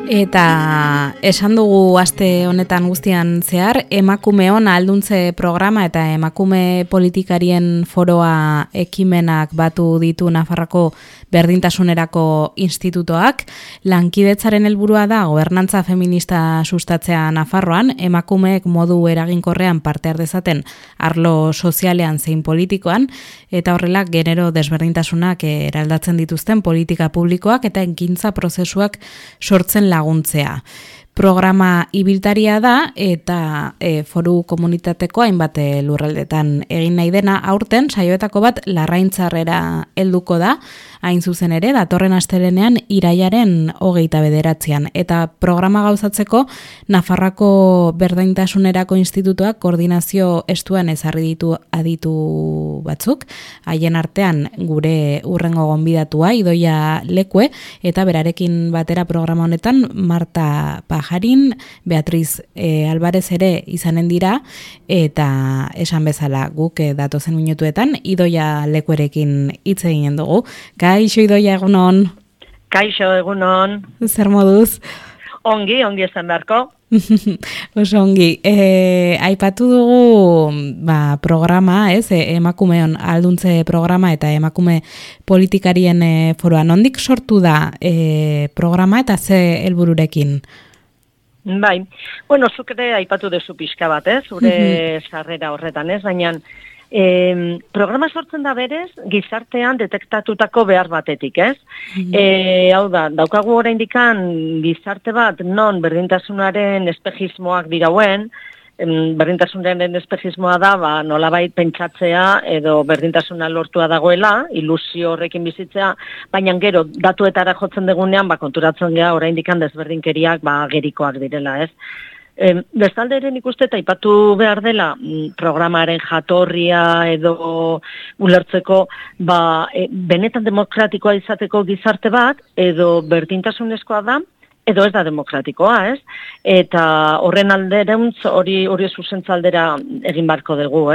Eta esan dugu aste honetan guztian zehar, emakumeon ahalduntze programa eta emakume politikarien foroa ekimenak batu ditu Nafarroako berdintasunerako institutoak. Lankidetzaren helburua da gobernantza feminista sustatzea Nafarroan, emakumeek modu eraginkorrean parte har dezaten arlo sozialean zein politikoan, eta horrela genero desberdintasunak eraldatzen dituzten politika publikoak eta ekintza prozesuak sortzen laguntzea. Programa ibiltaria da eta foru komunitateko hainbat lurraldetan egin nahi dena. Aurten saioetako bat Larraintzarrera helduko da, hain zuzen ere, datorren astelehenean irailaren 29. Eta programa gauzatzeko Nafarroako berdintasunerako institutuak koordinazio estuan ezarri ditu aditu batzuk, haien artean gure hurrengo gonbidatua Idoia Lekue, eta berarekin batera programa honetan Marta Pajarin, Beatriz Alvarez ere izanen dira, eta esan bezala guk datozen minutuetan Idoia Lekuerekin hitz eginen dugu. Kaixo Idoia, egunon. Kaixo, egunon. Zer moduz? Ongi esan beharko. Oso ongi. Aipatu dugu programa, emakumeon ahalduntze programa eta emakume politikarien foroa. Nondik sortu da programa eta ze helbururekin? Bai, bueno, zuk ere aipatu dezu pixka bat, zure sarrera horretan, baina programa sortzen da berez gizartean detektatutako behar batetik, hau da, daukagu oraindikan gizarte bat non berdintasunaren espejismoak dirauen, berdintasunaren espejismoa da, nolabait pentsatzea edo berdintasuna lortua dagoela, ilusio horrekin bizitzea, baina gero datuetara jotzen degunean, konturatzen gea oraindikan desberdinkeriak gerikoak direla, Bestalde ere nik uste aipatu behar dela programaren jatorria edo ulertzeko benetan demokratikoa izateko gizarte bat edo berdintasunezkoa da edo ez da demokratikoa, Eta horren aldereuntz hori zuzentza aldera egin barko dugu,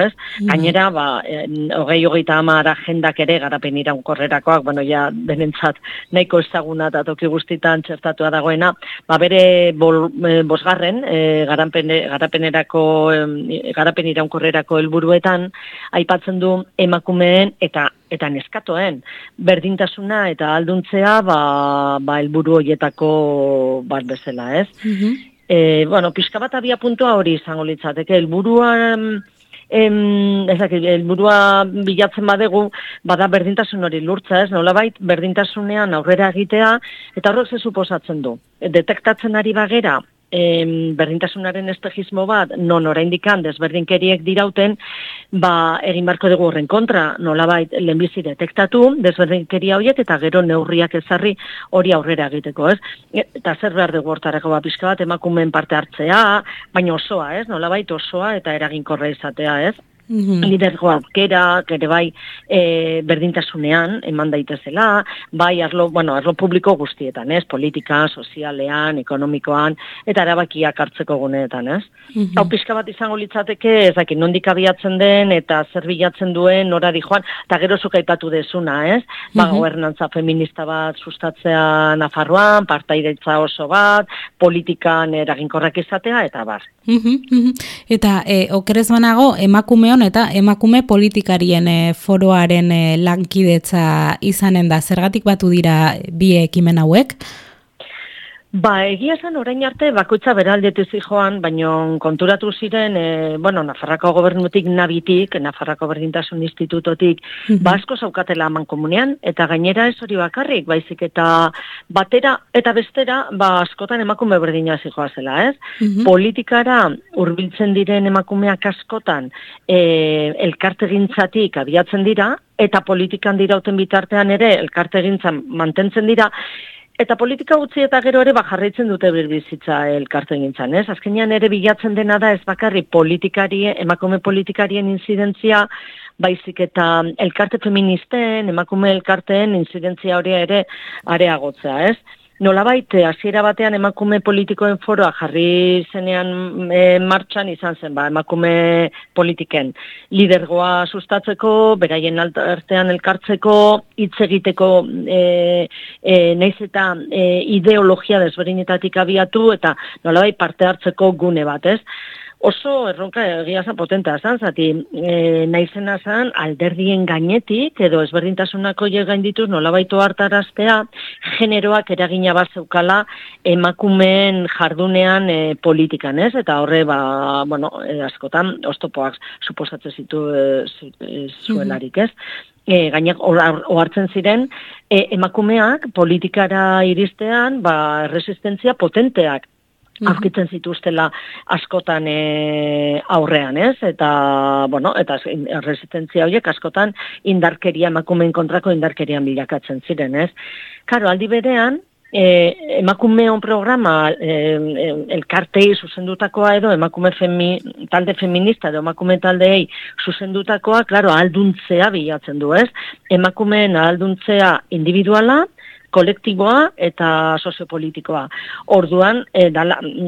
Gainera, 2030 agendak ere garapen iraunkorrerakoak, denentzat nahiko ezaguna eta toki guztitan txertatua dagoena, bere bosgarren garapen iraunkorrerako helburuetan aipatzen du emakumeen eta neskatoen berdintasuna eta ahalduntzea helburu horietako bat bezala, pixka bat abia puntua hori izango litzateke, helburua bilatzen badegu, bada berdintasun hori lurtza, nolabait berdintasunean aurrera egitea, eta horrek ze suposatzen du. Detektatzen ari bagera, berdintasunaren espejismo bat, non oraindikan desberdinkeriek dirauten, egin barko dugu horren kontra, nolabait lehenbizi detektatu, desberdinkeria horiek eta gero neurriak ezarri hori aurrera egiteko, Eta zer behar dugu hortarako pixka bat, emakumeen parte hartzea, baina osoa, nolabait osoa eta eraginkorra izatea, lidergo aukera, ere berdintasunean eman daitezela, arlo publiko guztietan, politika, sozialean, ekonomikoan, eta erabakiak hartzeko guneetan, Hau pixka bat izango litzateke, nondik abiatzen den, eta zer bilatzen duen, nora joan, eta gero zuk aipatu dezuna, gobernantza feminista bat sustatzea Nafarroan, partaideitza oso bat, politikan eraginkorrak izatea, eta bar. Eta okerez banago, emakumeon eta emakume politikarien foroaren lankidetza izanen da, zergatik batu dira bi ekimen hauek? Egia esan orain arte bakoitza beraldetu zijoan, baina konturatu ziren, Nafarroako gobernutik nabitik, Nafarroako berdintasun institutotik, asko zaukatela mankomunean, eta gainera ez hori bakarrik, baizik eta batera eta bestera, askotan emakume berdina zijoa zela, Politikara hurbiltzen diren emakumeak askotan elkartegintzatik abiatzen dira, eta politikan dirauten bitartean ere elkartegintzan mantentzen dira, eta politika utzi eta gero ere jarraitzen dute birbizitza elkartegintzan, Azkenean ere bilatzen dena da ez bakarri emakume politikarien inzidentzia, baizik eta elkarte feministen, emakume elkarteen inzidentzia hori ere areagotzea, nolabait hasiera batean emakume politikoen foroa jarri zenean martxan izan zen, emakume politiken lidergoa sustatzeko, beraien artean elkartzeko, hitz egiteko naiz eta ideologia desberdinetatik abiatu eta nolabait parte hartzeko gune bat, ez? Oso erronka egia zan potentea zan, zati naizena zan alderdien gainetik, edo ezberdintasunako gaindituz nolabaitu hartaraztea, generoak eragina bat zeukala emakumeen jardunean politikan, ez? Eta horre, askotan, oztopoak suposatzen zuelarik, ez? Gainak ohartzen ziren, emakumeak politikara iristean, resistentzia potenteak aurkitzen zituztela askotan aurrean, ez? Eta resistentzia horiek askotan emakumeen kontrako indarkerian bilakatzen ziren, ez? Karo, aldi berean, emakumeon programa elkartei zuzendutakoa edo emakume talde feminista edo emakume taldeei zuzendutakoa, klaro, ahalduntzea bilatzen du, ez? Emakumeen ahalduntzea individuala, kolektiboa eta soziopolitikoa. Orduan,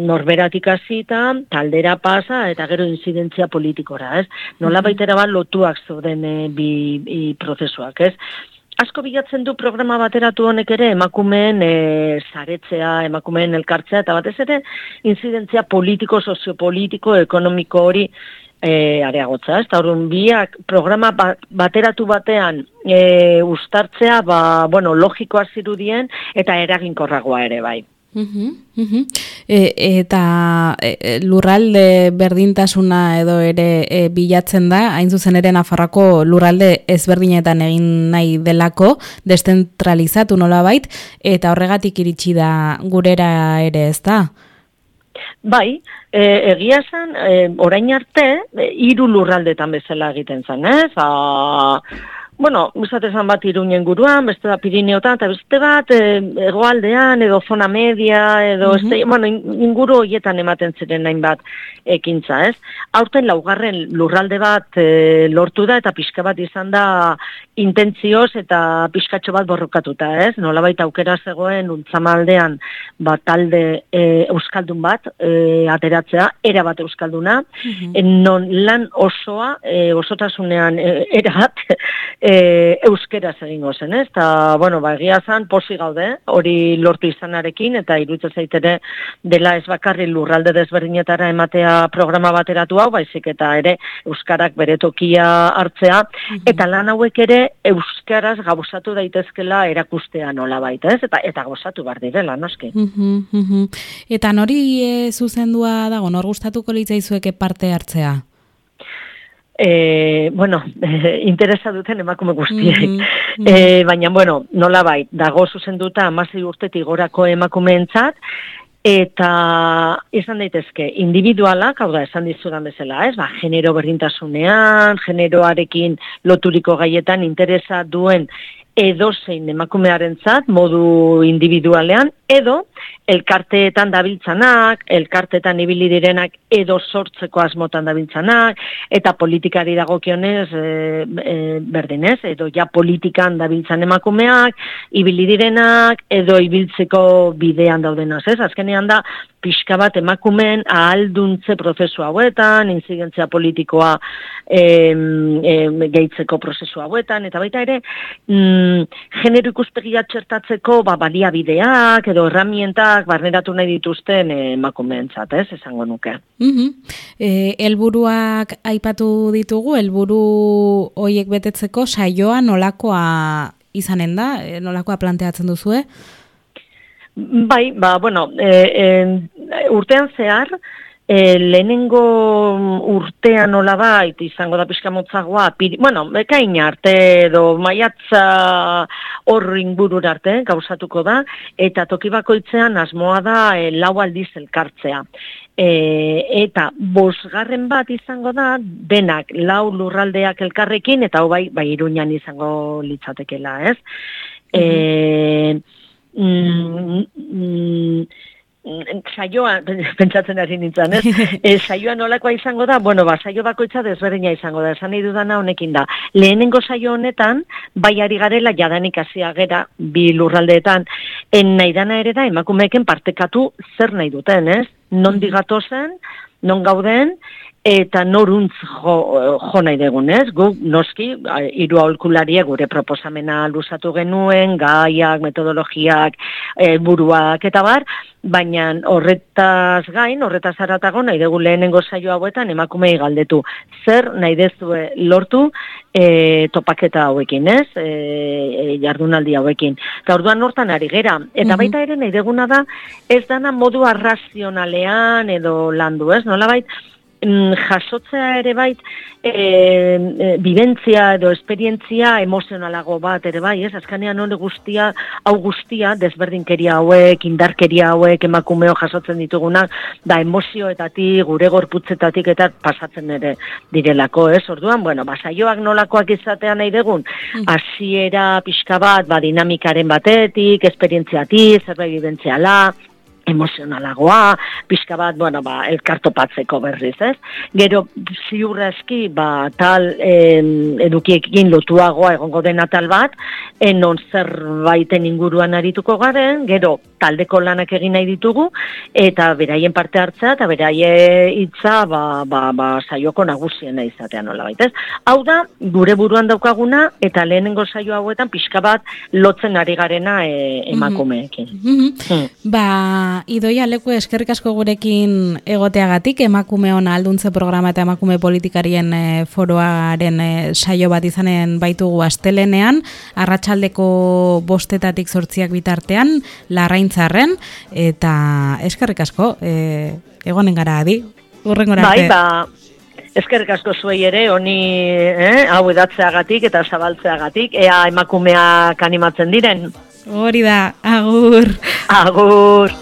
norberatik hasita, taldera pasa eta gero inzidentzia politikora, ez? Nola baitera bat lotuak zeuden bi prozesuak, ez? Asko bilatzen du programa bateratu honek ere emakumeen saretzea, emakumeen elkartzea, eta batez ere inzidentzia politiko, soziopolitiko, ekonomiko hori areagotza, ez? Eta orduan biak programa bateratu batean uztartzea, logikoa zirudien eta eraginkorragoa ere bai. Eta lurralde berdintasuna edo ere bilatzen da, hain zuzen ere Nafarroako lurralde ezberdinetan egin nahi delako, deszentralizatu nolabait, eta horregatik iritsi da gurera ere, ez da? Bai, egia zen, orain arte, 3 lurraldetan bezala egiten zen, ez? Izatezan bat Iruñen guruan, beste da Pirineotan, eta beste bat hegoaldean, edo zona media, edo inguru horietan ematen ziren nahin bat ekintza, ez? Aurten 4. lurralde bat lortu da, eta pixka bat izan da intentzioz eta pixkatxo bat borrokatuta, ez? Nolabait aukera zegoen untzamaldean talde euskaldun bat ateratzea, era bat euskalduna, non lan osoa, osotasunean erabat, euskeraz egingo zen, ez? Eta, egia zan, posi gaude, hori lortu izanarekin, eta iruditzen zaitere dela ez bakarri lurralde desberdinetara ematea programa bateratu hau, baizik eta ere euskarak bere tokia hartzea, eta lan hauek ere euskaraz gauzatu daitezkela erakustea nolabait, ez? Eta gauzatu bar direla, noski. Eta nori zuzendua dago, nor gustatuko litzaizueke parte hartzea? Interesa duten emakume guztiek. Baina, nolabait, dago zuzenduta 16 urtetik gorako emakumeentzat, eta izan daitezke individualak, hau da, esan dizudan bezala, ez? Genero berdintasunean, generoarekin loturiko gaietan interesa duen edozein emakumearentzat modu individualean, edo elkarteetan dabiltzanak, elkarteetan ibili direnak edo sortzeko asmotan dabiltzanak, eta politikari dagokionez berdinez, edo ja politikan dabiltzan emakumeak, ibili direnak, edo ibiltzeko bidean daudenaz, ez? Azkenean da, pixka bat emakumeen ahalduntze prozesu hauetan, inzidentzia politikoa gehitzeko prozesu hauetan, eta baita ere, genero ikuspegia txertatzeko baliabideak edo herramientak barneratu nahi dituzten emakumeentzat, ez, esango nuke. Helburuak aipatu ditugu, helburu horiek betetzeko saioa nolakoa izanen da, nolakoa planteatzen duzue? Bai, urtean zehar, lehenengo urtean nolabait izango da pixka motzagoa, ekain arte edo maiatza hor ingurura arte gauzatuko da, eta toki bakoitzean asmoa da 4 aldiz elkartzea. Eta 5. bat izango da, denak 4 lurraldeak elkarrekin, eta hau bai Iruñan izango litzatekela, ez? saioa, pentsatzen hasi nintzen, ez? Saioa nolakoa izango da, saio bakoitza desberdina izango da, esan nahi dudana honekin da. Lehenengo saio honetan, bai ari garela jadanik hasia gera, bi lurraldeetan, nahi dana ere da, emakumeeken partekatu zer nahi duten, ez? Non digatozen, non gauden, eta noruntz jo nahi degun, ez? Guk, noski, hiru aholkularia gure proposamena luzatu genuen, gaiak, metodologiak, buruak, eta bar, baina horretaz gain, horretaz aratago, nahi dugu lehenengo saio hauetan emakumei galdetu. Zer nahi dezue lortu topaketa hauekin, ez? Jardunaldi hauekin. Eta orduan hortan ari gera. Eta baita ere nahi deguna da, ez dana modu arrazionalean edo landu, ez? Nolabait, jasotzea ere bait bibentzia edo esperientzia emozionalago bat ere bai, ez? Azkanean hori hau guztia, desberdinkeria hauek, indarkeria hauek, emakumeo jasotzen ditugunak, da emozioetatik, gure gorputzetatik eta pasatzen ere direlako, ez? Orduan, saioak nolakoak izatea nahi dugun, hasiera pixka bat, dinamikaren batetik, esperientziatik, zerbait bibentziala, emozionalagoa, pixka bat, elkartopatzeko berriz, ez? Gero, ziurrezki, tal edukiekin lotuagoa egongo dena tal bat, non zerbaiten inguruan arituko garen, gero, taldeko lanak egin nahi ditugu, eta beraien parte hartzea, eta beraie hitza, saioko nagusiena izatea nola baita, ez? Hau da, gure buruan daukaguna, eta lehenengo saio hauetan pixka bat lotzen ari garena emakumeekin. Idoia Leku, eskerrik asko gurekin egoteagatik, emakumeon alduntze programa eta emakume politikarien foroaren saio bat izanen baitugu astelenean, arratsaldeko 5:00 8:00 bitartean, Larraintzarren, eta eskerrik asko, egonen gara adi, urrengora arte. Eskerrik asko zuei ere, honi hau edatzeagatik eta zabaltzeagatik, ea emakumeak animatzen diren. Hori da, agur. Agur.